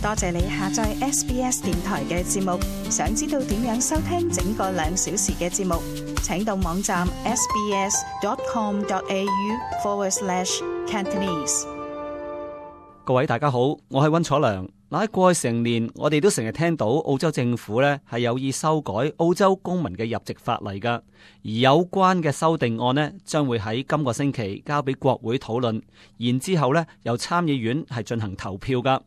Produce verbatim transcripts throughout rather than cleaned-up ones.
多謝你下載 S B S 電台嘅節目。想知道點樣收聽整個兩小時嘅節目，請到網站 sbs.com.au forward slash Cantonese。各位大家好，我係溫楚良。嗱，喺過去成年，我哋都成日聽到澳洲政府咧係有意修改澳洲公民嘅入籍法例噶，而有關嘅修訂案呢，將會喺今個星期交俾國會討論，然之後咧由參議院係進行投票噶。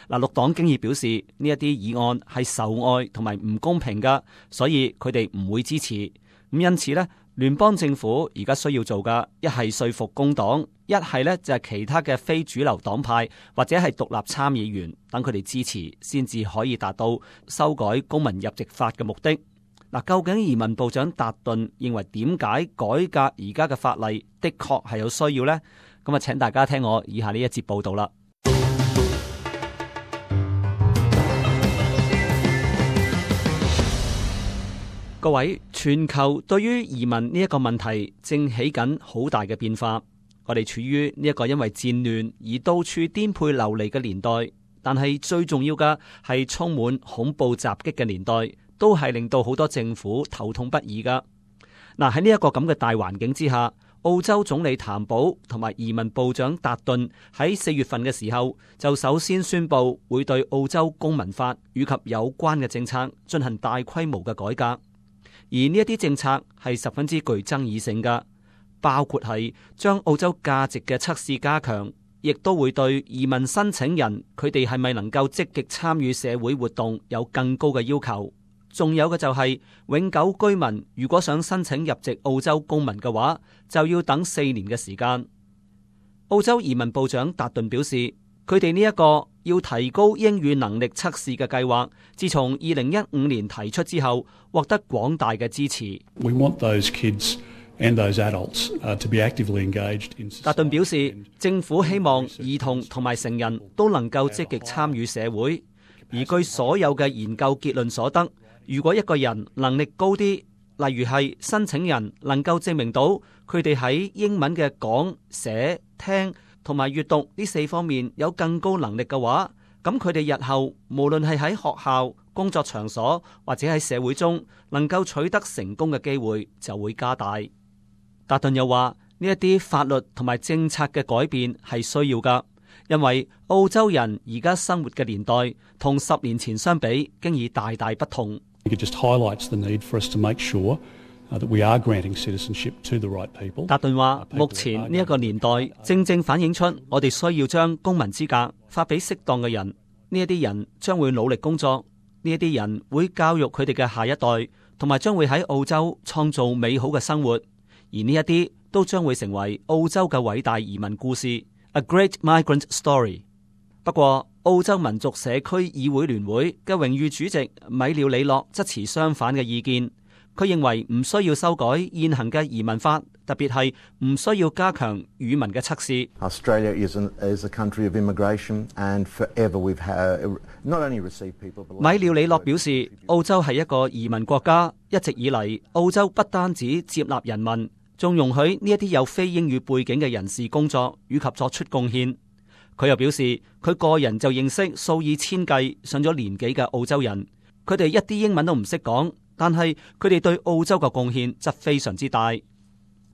嗱，綠黨經已表示呢一啲議案係仇外同埋唔公平噶，所以佢哋唔會支持。咁因此呢，聯邦政府而家需要做嘅一係說服工黨，一係呢就係其他嘅非主流黨派或者係獨立參議員等佢哋支持，先至可以達到修改公民入籍法嘅目的。嗱，究竟移民部長達頓認為點解改革而家嘅法例的確係有需要呢？咁啊，請大家聽我以下呢一節報道啦。各位，全球對於移民呢一個問題正起緊好大嘅變化。我哋處於呢一個因為戰亂而到處顛沛流離嘅年代，但係最重要嘅係充滿恐怖襲擊嘅年代，都係令到好多政府頭痛不已噶。嗱，喺呢一個咁嘅大環境之下，澳洲總理譚寶同埋移民部長達頓喺四月份嘅時候就首先宣布會對澳洲公民法以及有關嘅政策進行大規模嘅改革。而呢一啲政策係十分之具爭議性噶，包括係將澳洲價值嘅測試加強，亦都會對移民申請人佢哋係咪能夠積極參與社會活動有更高嘅要求。仲有嘅就係永久居民如果想申請入籍澳洲公民嘅話，就要等四年嘅時間。澳洲移民部長達頓表示，佢哋呢一個要提高英語能力測試嘅計劃，自從二零一五年提出之後，獲得廣大嘅支持。We want those kids and those adults to be actively engaged in society. 達頓表示，政府希望兒童同埋成人都能夠積極參與社會，而據所有嘅研究結論所得，如果一個人能力高啲，例如係申請人能夠證明到佢哋喺英文嘅講、寫、聽同埋閱讀呢四方面有更高能力嘅話，咁佢哋日後無論係喺學校、工作場所或者喺社會中能夠取得成功嘅機會就會加大。達頓又話呢一啲法律同埋政策嘅改變係需要噶，因為澳洲人而家生活嘅年代同十年前相比，經已大大不同。It just highlights the need for us to make sure that we are granting citizenship to the right people. 達頓話，目前呢一個年代正正反映出我哋需要將公民資格發俾適當嘅人。呢一啲人將會努力工作，呢一啲人會教育佢哋嘅下一代，同埋將會喺澳洲創造美好嘅生活。而呢一啲都將會成為澳洲嘅偉大移民故事 ，A Great Migrant Story。不過，澳洲民族社區議會聯會嘅榮譽主席米廖里諾則持相反嘅意見。佢認為唔需要修改現行嘅移民法，特別係唔需要加強語文嘅測試。Australia is an, is a country of immigration, and forever we've had not only received people. 米廖里諾表示，澳洲係一個移民國家，一直以嚟澳洲不單止接納人民，仲容許呢一啲有非英語背景嘅人士工作以及作出貢獻。佢又表示，佢個人就認識數以千計上咗年紀嘅澳洲人，佢哋一啲英文都唔識講，但係佢哋對澳洲嘅貢獻則非常之大。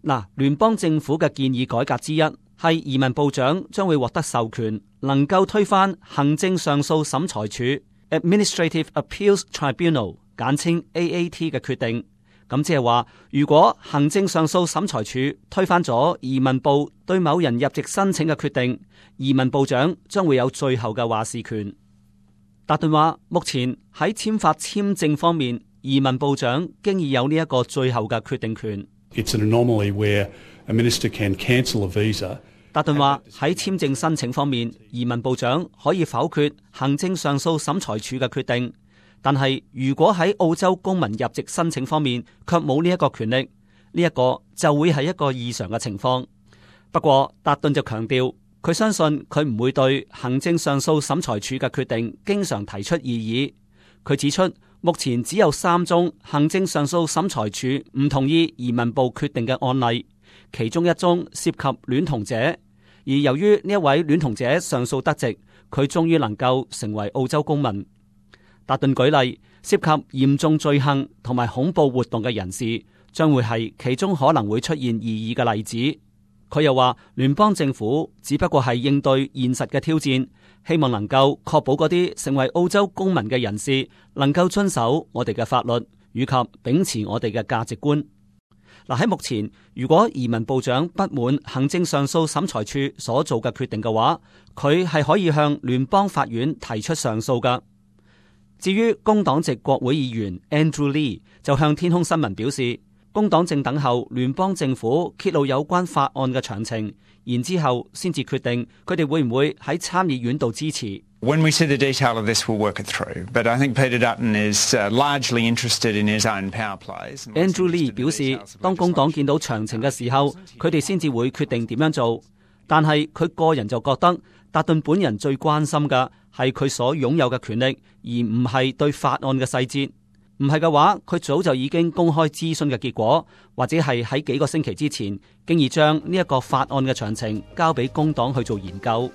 嗱，聯邦政府嘅建議改革之一係移民部長將會獲得授權，能夠推翻行政上訴審裁處 （Administrative Appeals Tribunal） 簡稱 A A T 嘅決定。咁即係話，如果行政上訴審裁處推翻咗移民部對某人入籍申請嘅決定，移民部長將會有最後嘅話事權。達頓話，目前喺簽發簽證方面，移民部長經已有呢一個最後嘅決定權。It's an anomaly where a minister can cancel a visa. 達頓話，喺簽證申請方面，移民部長可以否決行政上訴審裁處嘅決定。但係如果喺澳洲公民入籍申請方面卻冇呢一個權力，呢、這、一個就會係一個異常嘅情況。不過達頓就強調，佢相信佢唔會對行政上訴審裁處嘅決定經常提出異議。佢指出，目前只有三宗行政上訴審裁處唔同意移民部決定嘅案例，其中一宗涉及戀童者，而由於呢一位戀童者上訴得直，佢終於能夠成為澳洲公民。達頓舉例，涉及嚴重罪行同埋恐怖活動嘅人士將會係其中可能會出現異議嘅例子。佢又話，聯邦政府只不過係應對現實嘅挑戰，希望能夠確保嗰啲成為澳洲公民嘅人士能夠遵守我哋嘅法律，以及秉持我哋嘅價值觀。嗱，喺目前，如果移民部長不滿行政上訴審裁處所做嘅決定嘅話，佢係可以向聯邦法院提出上訴㗎。至於工黨籍國會議員 Andrew Lee 就向天空新聞表示，工黨正等候聯邦政府揭露有關法案嘅詳情，然之後先至決定佢哋會唔會喺參議院度支持。When we see the detail of this, we'll work it through. But I think Peter Dutton is largely interested in his own power plays. Andrew Lee 表示，當工黨見到詳情嘅時候，佢哋先至會決定點樣做。但係佢個人就覺得，達頓本人最關心嘅係佢所擁有嘅權力，而唔係對法案嘅細節。唔係嘅話，佢早就已經公開諮詢嘅結果，或者係喺幾個星期之前，經已將呢一個法案嘅詳情交俾工黨去做研究。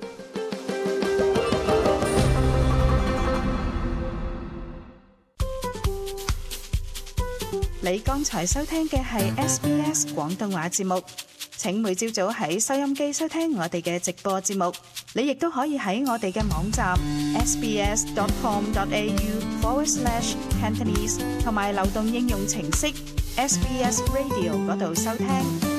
你剛才收聽嘅係 S B S 廣東話節目，請每朝早喺收音機收聽我哋嘅直播節目。你亦都可以喺我哋嘅網站 sbs.com.au forward slash Cantonese 同埋流動應用程式 S B S Radio 嗰度收聽。